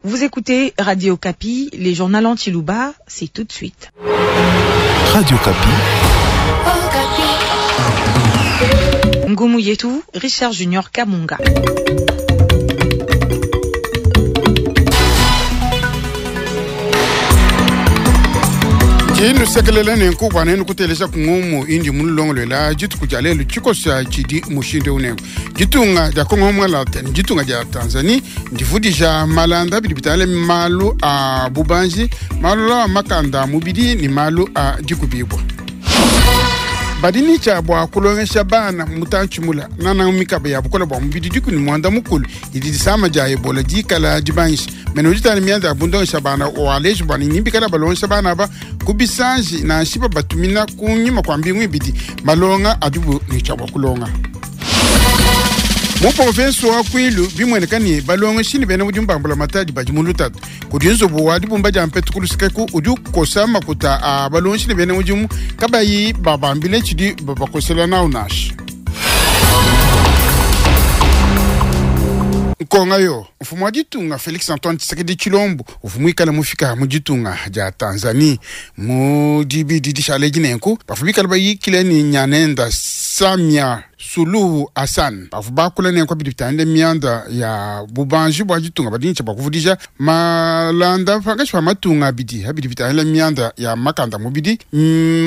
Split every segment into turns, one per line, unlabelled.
Vous écoutez Radio Okapi, les journal en Tshiluba, c'est tout de suite.
Radio Okapi.
Ngumu yetu, Richard Junior Kamunga.
Ndinusekelela nenku bua nenu kuteleja ku ngumu indi munulongoluela dituku dia lelu. Tshikosa tshidi mushindu eu nenku: ditunga dia Kongo mualata ne ditunga dia Tanzanie ndivudija malanda bidi bitangila malu a bubanji, malu a makanda a mubidi ne malu a dikubibua. Badi ne tshia bua kulongesha bana mutantshi mula nananga mikaba ya bukole bua mubidi dikumi ne muanda mukulu idi disama dia Ebola dikala dibangisha. Mene udi tangila mianda ya bundongesha bana waleji bua ne nibikala balongesha bana aba ku bisanji nansha babatumina kunyima kua mbingu ibidi malonga adibu ne tshia bua kulonga. Mu province wa Kwilu bimueneka ne balongeshi ne bena mudimu ba mbulamatadi badi mu lutatu. Kudi nzubu wa dibumba dia mpetu ku lusekeku udi ukosa makuta a balongeshi ne bena mudimu kabayi babambile tshidi babakosela nawu nansha. Nkonga yo, mfumu wa ditunga Felix Antoine Tshisekedi Tshilombo uvua muikale mufika mu ditunga dia Tanzanie mu dibidi dishale edi nenku bavua bikale bayikile ne nyanenda Samia Suluhu Hassan. Bavua bakula nenku bidi bitangila mianda ya bubanji bua ditunga badi ne tshia bua kuvudija malanda pankatshi pa matunga abidi abidi bitangila mianda ya makanda mubidi,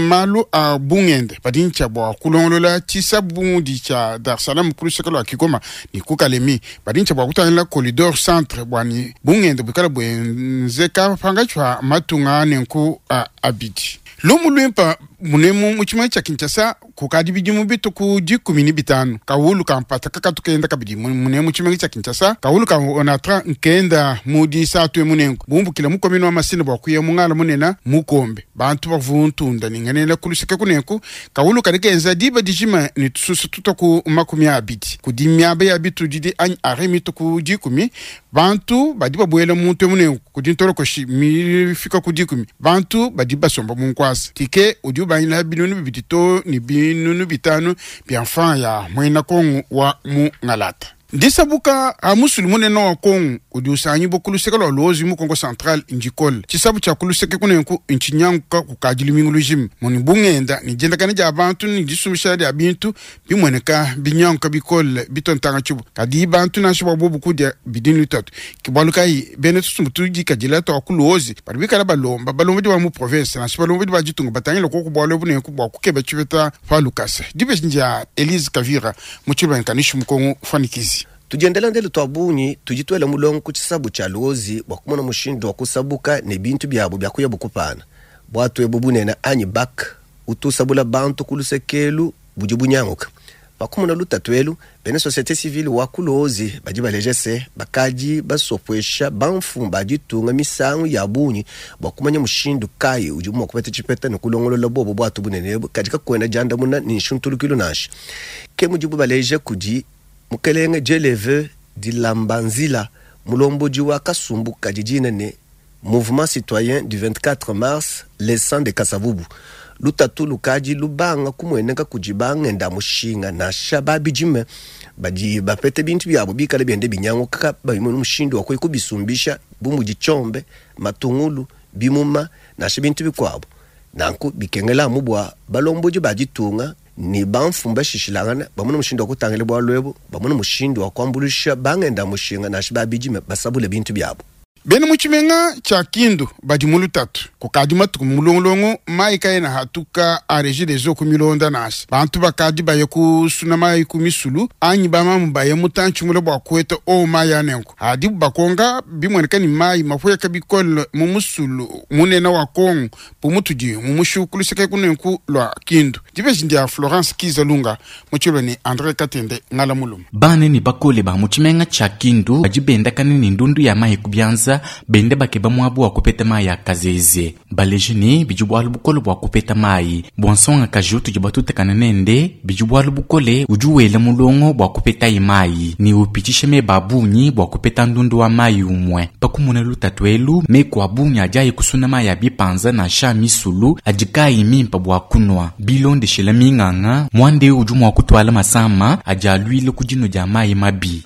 malu a bungende badi ne tshia bua kulongolola tshisabu bu mudi tshia Dar es Salaam ku luseke lua Kigoma ne ku Kalemi badi ne tshia bua kutangila Corridor Centre bua ne bungende buikala buenzeka pankatshi pa matunga nenku a abidi. Lumu luimpa munemu mu tshimenga tshia Kinshasa kukadi bidimu bitu ku 15 kawulu ka mpata kakatu kenda kabidi munemu mu tshimenga tshia Kinshasa. Kawulu ka Onatra nkenda mu disatu emu nenku bumbukila mu commune wa Masina bua kuya mu ngala munena mu Kombe. Bantu bavua ntunda ne ngenela ku luseke kunenku kawulu kadi kenza diba dijima ne tususu tutua ku 20 kudi miaba ya bitudidi anyi arrêt mitu ku 10. Bantu badi babuela muntu emu nenku kudi ntolokoshi mifika ku 10 bantu badi basomba mu nkuasa. Tike udi ubangila 2000 too ne 5000 bia mfranga ya muena Kongo wa mu Ngalata. Ndisabuka a musulu munene wa Kongo udi usangibua ku luseke lua Luozi mu Kongo Central ndikole. Tshisabu tshia ku luseke kunenku ntshinyanguka kukadi lumingu lujima. Muni bungenda ne diendakana dia bantu ne disumbisha dia bintu bimueneka binyanguka bikole bitua ntanga tshibu. Kadi bantu nansha bua bobu kudia bidi ne lutatu. Ke bualu kayi bena tusumbu tudikadila tua ku Luozi badi bikala balomba balombodi ba mu province nansha balombodi ba ditunga batangile koku bualu ebu nenku bua kukeba tshipeta pa lukasa. Dibeji ndia Elise Kavira mu Tshiluba Nkanishi mu Kongo Fuanikizi.
Tudiendela ndelu tua bungi tudi tuela mulongo ku tshisabu tshia Luozi bua kumona mushindu wa kusabuka ne bintu biabu bia kuyabu kupana. Buatu ebu bunene anyi bac utu usabula bantu ku luseke elu budi bunyanguka. Pa kumona lutatu elu, bena societe civile wa ku Luozi badi baleja se, bakadi basopuesha bamfumu ba ditunga misangu ya bungi bua kumanya mushindu kayi udibu mua kupeta tshipeta ne kulongolola bobo buatu bunene ebu, kadi kakuena diandamuna ne nshuntulukilu nansha. Ke mudibu baleja kudi Mukelenge Djeleve Dilambanzila, mulombodi wa kasumbu kadi dina ne Mouvement citoyen du 24 mars, les sangs de Kasavubu. Lutatu lukadi lubanga kumueneka kudi bangenda-mushinga nansha ba bidime badi bapete bintu biabu bikale biende binyanguka kabayi mu mushindu wa kuya kubisumbisha bu mudi tshiombe, matungulu, bimuma nansha bintu bikuabu. Nanku bikengela amu bua balombodi ba ditunga ne bamfumu bashishilangane bamone mushindu wa kutangila bualu ebu, bamone mushindu wa kuambuluisha bangenda-mushinga nansha ba bidime basabule bintu biabu.
Bena mu tshimenga tshia Kindu badi mu lutatu kukadi matuku mu mulongolongo, mayi kaena hatuka a Regideso ku milonda nansha. Bantu bakadi baya kusuna mayi ku misulu anyi bamamu baya mutantshi mule bua kuheta owu mayi a nenku. Hadibu bakonka, bimueneka ne mayi mapueka bikole mu musulu munene wa Kongo bu mutudi mu mushiku ku luseke kunenku lua Kindu. Dibeji ndia Florence Kizalunga mu tshiluba ne Andre Katende Ngala Muluma.
Bana ne bakole ba mu tshimenga tshia Kindu badi bendakana ne ndundu ya mayi ku bianza, benda bakeba muaba wa kupeta mayi a kazeze. Baleje ne, bidi bualu bukole bua kupeta mayi. Bua nsongakaji utudi batutakane nende, bidi bualu bukole, udi wela mulongo bua kupetaye mayi ne upitshisha meba a bungi bua kupeta ndundu wa mayi umue. Pa kumona lutatu elu, meku a bungi adi aya kusuna mayi a bipanza nansha a misulu adi kaayi mimpe bua kunua. Bilondeshile minganga, muanda eu udi mua kutuala masama adi aluila ku dinua dia mayi mabi.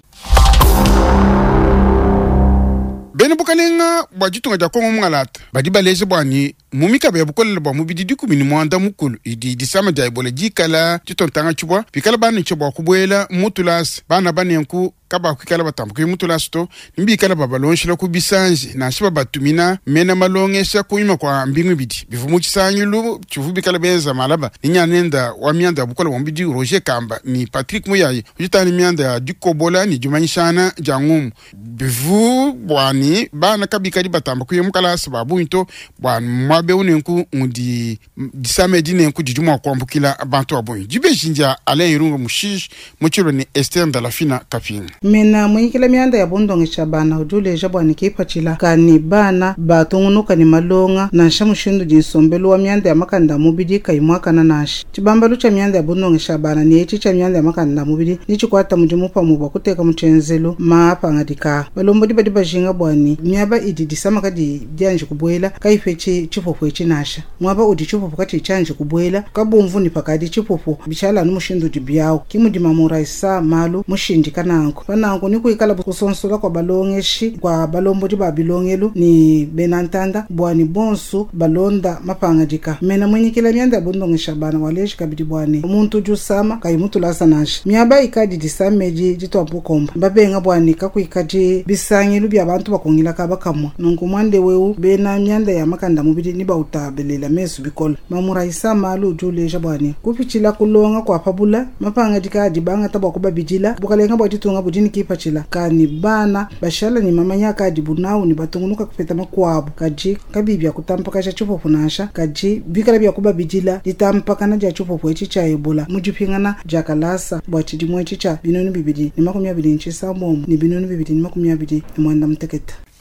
Bena bukalenga bua ditunga dia Kongo mungalata badi baleja bua ne mu mikaba ya bukolela bua mubidi 16 idi disama dia Ebola dikala ditontanga tshibua bikala bana bua kubuela mu tulasa bana banenku kabakwikala batambuka mu tulasa to nibikala babalonshela ku bisanji nansha babatumina mena malongesha kunyima kwa mbingu ibidi bivu mu tshisangilu tshivu bikala benza malaba ni nyanenda wa mianda ya bukola bua mubidi Roger Kamba ni Patrick Muyayi ujitani mianda ya dikobola ni dimanyishana dia ngumu bivu bwani bana kabikali batamba kuya mukalasa babungi to bwa mwabe unenku ngudi disame dinenku didi mua kuambukila bantu babungi dibeji ndia Alain Irunga Mushishi mutshilo ni Esther Ndalafina Kapinga.
Mena munyikila mianda ya bundongesha bana udi uleja bua ne kipatshila kani bana batungunuka ne malonga nansha mushindu di nsombelu wa mianda ya makanda a mubidi kayi muakana nansha tshibambalu tshia mianda ya bundongesha bana ne etshi tshia mianda ya makanda a mubidi ni tshikwata mudimu pamue bua kuteka mu tshienzelu maapangadika balombodi badi bajinga bua ne miaba idi disama kadi dianji kubuela kayipetshi tshipupu etshi nansha muaba udi tshipupu katshi tshianji kubuela kabumvu ne pakadi tshipupu bishala anu mushindu udi biawu ki mudi mamuraisa malu mushindika nanku pananku ni kuikala kusonsola kwa balongeshi kwa balombodi ba bilongelu ni bena ntanda bua ni bonsu balonda mapangadika mena munyikila mianda ya bundongesha bana waleji kabidi bua ne muntu udi usama kayi mutulasa nansha miaba ikadi disame ditwa bukomba babenga bua ne kakuikadi bisangilu bia bantu bakungila kaba kamwa nunku mwande weu bena mianda ya makanda mubidi ni bautabelela mesu bikola mamuraisa malu udi uleja bua ne kupitshila kulonga kwa pabula mapangadika adi bangata bua kubabidila bukalenga bua ditunga budi ni kipatshila kani bana bashala ni mamanya kadi bunau ni batungunuka kupeta makuabu kadi kabi bya kutampakasha tshipupu nansha kadi bikala bya kubabidila ditampakana dia tshipupu etshi tshia ebola mu dipingana dia kalasa bua tshidimu etshi tshia 2026 ne 2026.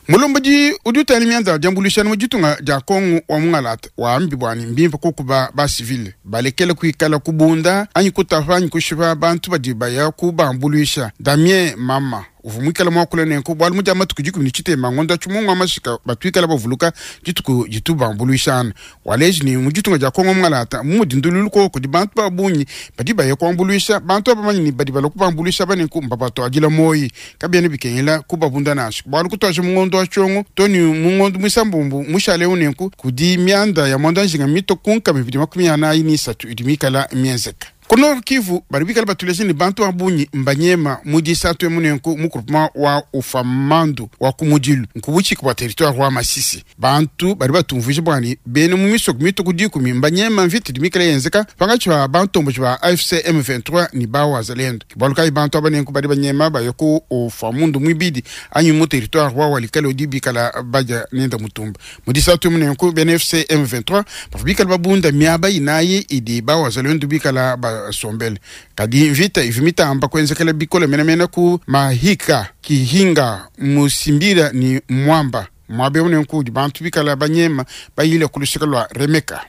Mulombodi udi utala mianda ya diambuluishana mu ditunga dia Kongo wa mungalata wambi bua ne mbimpe kukuba ba civile balekele kuikala kubunda anyi kutapa anyi kushipa bantu badi baya kubambuluisha. Damien Mama uvua muikala muakula nenku bualu mu dia matuku 17 ngondo tshimungu wa mashika batuikala bavuluka dituku ditubambuluishana waleji ni mu ditunga dia Kongo mungalata mu mudindululu koko di bantu babungi badi baya kuambuluisha bantu abamanyi ni badi bala kubambuluisha banenku mbabatuadila moyi kabiena bikengela kubabunda nansha bualu kutwaje mu ngondo wa tshiongo to ni mu ngondo mwisambumbu mushale unenku kudi mianda ya mwanda njinga mito kunka 243 idi mikala mienzeka. Ku Nord Kivu badi bikala batuleje ni bantu babungi mbanyema mu disatu emunenku mu groupement wa Ufamandu wa kumudilu nkubuchika bua territoire wa Masisi bantu badi batumvuije bua ne bena mu misoko mito ku 10 mbanyema mvita idi mikala yenzeka pangatshi ba bantomboji ba AFC M23 ni ba wazalendo bualu kayi bantu abanenku badi banyema baye ku Ufamundu mwibidi anyi mu territoire wa Walikale udi bikala baja nenda mutumba mu disatu emunenku bena AFC M23 bavua bikala babunda miaba inayi idi ba wazalendo bikala ba sombele kadi mvita ivi mitamba kwenzekela bikola menamena ku mahika kihinga musimbira ni mwamba mwabe unenku udi bantu bikala banyema bayile kulusika lwa remeka.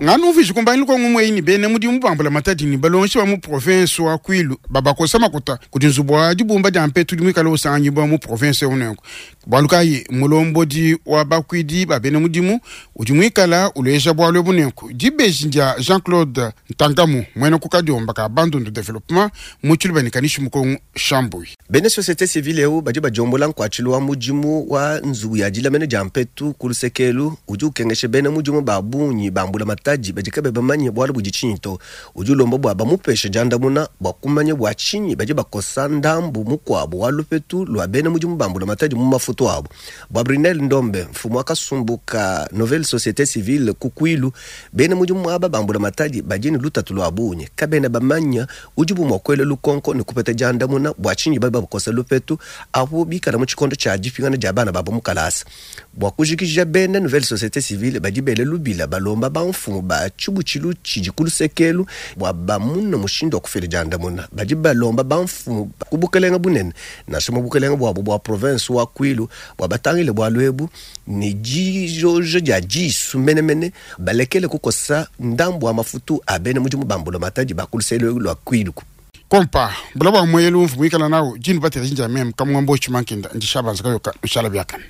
Nganu mviji kumbanyi lukongo mweini bene mudi mubambula matadi ni balonshi ba mu province wa Kwilu babakosa makuta kudi nzubu wa dibumba dia mpetu di mwikala usangi bwa mu province unenku bualu kayi mulombodi wa bakwidi ba bene mudimu udi mwikala uleja bualu bunenku dibeji ndia Jean-Claude Ntangamu mwene kukadiomba ka Bandundu Development mu Tshiluba ni kanishi mukongo Shambui.
Bene société civile eu badi bajombola nkuatshilu wa mudimu wa nzubu ya dilamene dia mpetu ku lusekelu udi ukengesha bene mudimu ba bungi bambula matadi badi kabe bamanye bualu budi tshinyi to udi ulomba bua bamupeshe diandamuna bua kumanya bua tshinyi badi bakosa ndambu mukuabu wa lupetu lua bene mudimu bambula matadi mu mafutu abu. Bua Brinel Ndombe mfumu wa kasumbu ka nouvelle société civile ku Kwilu bene mudimu aba bambula matadi badi ne lutatu lua bungi kabena bamanya udi bumua kuela lukonko ne kupeta diandamuna bua tshinyi badi bakosa lupetu apo bikala mu tshikondo tshia dipingana dia bana babo mu kalasa. Bua kujikija bene nouvelle société civile badi bele lubila balomba bamfumu ba tshibutshilu tshidi ku lusekelu bua bamuna mushindu wa kufila diandamuna. Badi balomba bamfumu ku bukelenga bunene nansha mu bukelenga buabu bua province wa Kwilu bua batangile bualu ebu ne dijojo dia disu menemene balekele kukosa ndambu wa mafutu a bene mudimu bambula matadi ba ku luselu lua Kwilu.
Kompa bula bua mwelu mvu mwikala nawo jini batela jinja meme kamwambo chimankinda ndishabanza kayoka nshala byakana.